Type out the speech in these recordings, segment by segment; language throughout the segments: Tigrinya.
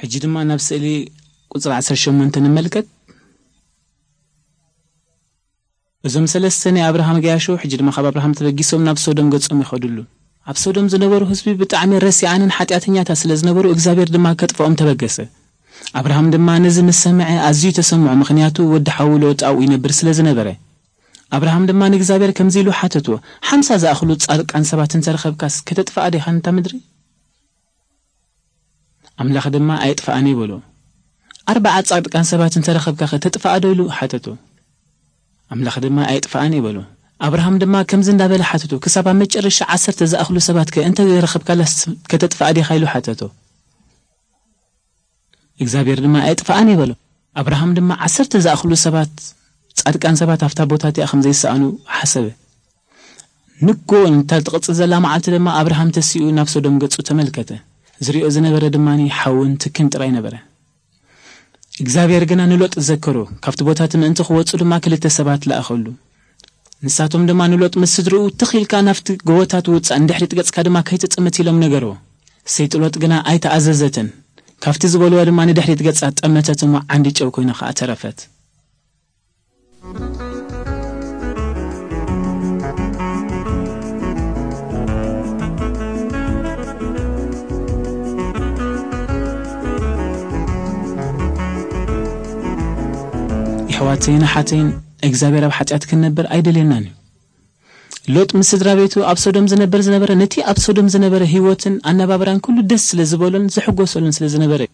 ሕጂ ድማ ናብ ስእሊ ቁጽሪ ዓሰርተ ሸሞንተ ንመልከት። እዞም ሰለስተ ናይ ኣብርሃም ገያሾ ሕጂ ድማ ካብ ኣብርሃም ተበጊሶም ናብ ሶዶም ገጾም ይኸድሉ። ኣብ ሶዶም ዝነበሩ ህዝቢ ብጣዕሚ ረሲኣንን ሓጢኣተኛታት ስለ ዝነበሩ እግዚኣብሔር ድማ ከጥፍኦም ተበገሰ። ኣብርሃም ድማ ነዚ ምስ ሰምዐ ኣዝዩ ተሰምዖ፣ ምኽንያቱ ወዲ ሓዉ ሎጥ ኣብኡ ይነብር ስለ ዝነበረ። ኣብርሃም ድማ ንእግዚኣብሔር ከምዚ ኢሉ ሓተቶ፣ ሓምሳ ዝኣኽሉ ጻድቃን ሰባት እንተረኸብካስ ከተጥፍኣ ዲኻ ነታ ምድሪ? ኣምላኽ ድማ ኣየጥፍኣን እዩ በሎ። ኣርብዓ ጻድቃን ሰባት እንተረኸብካ ከተጥፍኣ ዶ ኢሉ ሓተቶ። ኣምላኽ ድማ ኣየጥፍኣን እዩ በሎ። ኣብርሃም ድማ ከምዚ እንዳበለ ሓተቶ፣ ክሳብ ኣብ መጨረሻ ዓሰርተ ዝኣኽሉ ሰባት ከ እንተ ረኸብካላስ ከተጥፍኣ ዲኻ ኢሉ ሓተቶ። እግዚኣብሔር ድማ ኣየጥፍኣን እዩ በሎ። ኣብርሃም ድማ ዓሰርተ ዝኣኽሉ ሰባት ጻድቃን ሰባት ኣብታ ቦታ እቲኣ ከም ዘይሰኣኑ ሓሰበ። ንጎ እንታ ትቕጽል ዘላ መዓልቲ ድማ ኣብርሃም ተሲኡ ናብ ሶዶም ገጹ ተመልከተ። ዝሪኦ ዝነበረ ድማ ሓውን ትክን ጥራይ ነበረ። እግዚኣብሔር ግና ንሎጥ ዘከሮ። ካብቲ ቦታ እቲ ምእንቲ ክወጹ ድማ ክልተ ሰባት ለኣኸሉ። ንሳቶም ድማ ንሎጥ ምስ ስድርኡ ትኽ ኢልካ ናብቲ ጎቦታት ውጻእ፣ ንድሕሪት ገጽካ ድማ ከይትጥምት ኢሎም ነገርዎ። ሰይቲ ሎጥ ግና ኣይተኣዘዘትን። ካብቲ ዝበልዋ ድማ ንድሕሪት ገጻ ጠመተት እሞ ዓንዲ ጨው ኮይና ከኣ ተረፈት። የሕዋተይን ኣሓተይን እግዚኣብሔር ኣብ ሓጢኣት ክንነብር ኣይደልየናን እዩ። ሎጥ ምስ ስድራ ቤቱ ኣብ ሶዶም ዝነበር ዝነበረ ነቲ ኣብ ሶዶም ዝነበረ ህይወትን ኣነባብራን ኩሉ ደስ ስለ ዝበሎን ዝሕጎሰሉን ስለ ዝነበረ እዩ።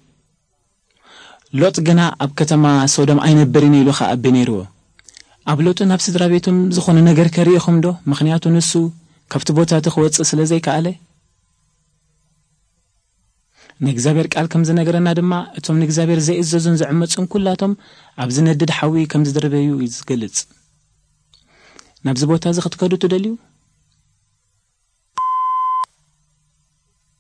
ሎጥ ግና ኣብ ከተማ ሶዶም ኣይነብርን ኢሉ ከኣቢ ነይርዎ። ኣብ ሎጥን ኣብ ስድራ ቤቱን ዝኾነ ነገር ከርእኹም ዶ? ምኽንያቱ ንሱ ካብቲ ቦታ እቲ ክወፅእ ስለ ዘይከኣለ። ንእግዚኣብሔር ቃል ከም ዝነገረና ድማ እቶም ንእግዚኣብሔር ዘይእዘዙን ዝዕመፁን ኩላቶም ኣብ ዝነድድ ሓዊ ከም ዝድርበዩ እዩ ዝገልጽ። ናብዚ ቦታ እዚ ክትከዱ ትደልዩ?